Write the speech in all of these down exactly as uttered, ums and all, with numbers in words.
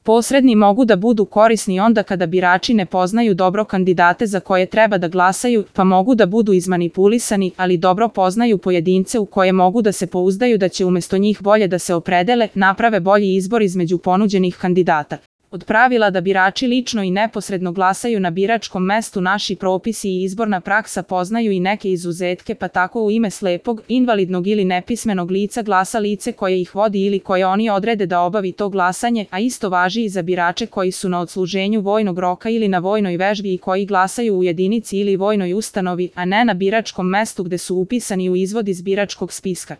Posredni mogu da budu korisni onda kada birači ne poznaju dobro kandidate za koje treba da glasaju, pa mogu da budu izmanipulisani, ali dobro poznaju pojedince u koje mogu da se pouzdaju da će umesto njih bolje da se opredele, naprave bolji izbor između ponuđenih kandidata. Od pravila da birači lično i neposredno glasaju na biračkom mestu naši propisi i izborna praksa poznaju i neke izuzetke, pa tako u ime slepog, invalidnog ili nepismenog lica glasa lice koje ih vodi ili koje oni odrede da obavi to glasanje, a isto važi i za birače koji su na odsluženju vojnog roka ili na vojnoj vežbi i koji glasaju u jedinici ili vojnoj ustanovi, a ne na biračkom mestu gde su upisani u izvod iz biračkog spiska.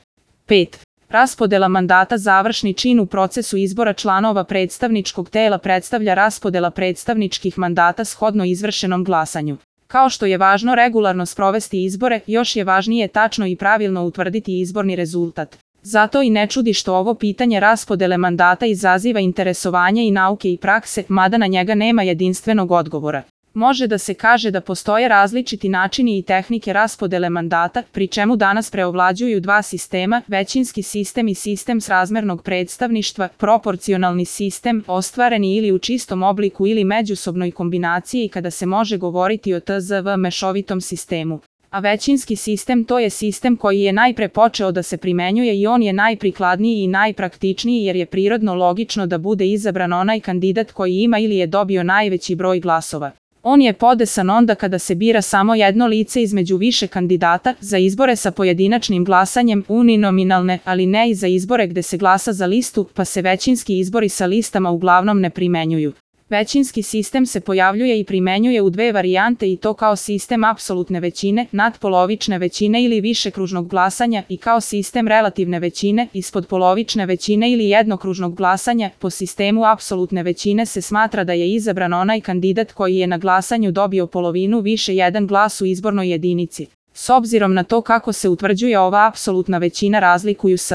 pet. Raspodela mandata. Završni čin u procesu izbora članova predstavničkog tela predstavlja raspodela predstavničkih mandata shodno izvršenom glasanju. Kao što je važno regularno sprovesti izbore, još je važnije tačno i pravilno utvrditi izborni rezultat. Zato i ne čudi što ovo pitanje raspodele mandata izaziva interesovanje i nauke i prakse, mada na njega nema jedinstvenog odgovora. Može da se kaže da postoje različiti načini i tehnike raspodele mandata, pri čemu danas preovlađuju dva sistema, većinski sistem i sistem srazmernog predstavništva, proporcionalni sistem, ostvareni ili u čistom obliku ili međusobnoj kombinaciji kada se može govoriti o T Z V mešovitom sistemu. A većinski sistem to je sistem koji je najpre počeo da se primenjuje i on je najprikladniji i najpraktičniji jer je prirodno logično da bude izabran onaj kandidat koji ima ili je dobio najveći broj glasova. On je podesan onda kada se bira samo jedno lice između više kandidata, za izbore sa pojedinačnim glasanjem, uninominalne, ali ne i za izbore gde se glasa za listu, pa se većinski izbori sa listama uglavnom ne primenjuju. Većinski sistem se pojavljuje i primenjuje u dve varijante i to kao sistem apsolutne većine, nadpolovične većine ili višekružnog glasanja i kao sistem relativne većine, ispodpolovične većine ili jednokružnog glasanja. Po sistemu apsolutne većine se smatra da je izabran onaj kandidat koji je na glasanju dobio polovinu više jedan glas u izbornoj jedinici. S obzirom na to kako se utvrđuje ova apsolutna većina razlikuju s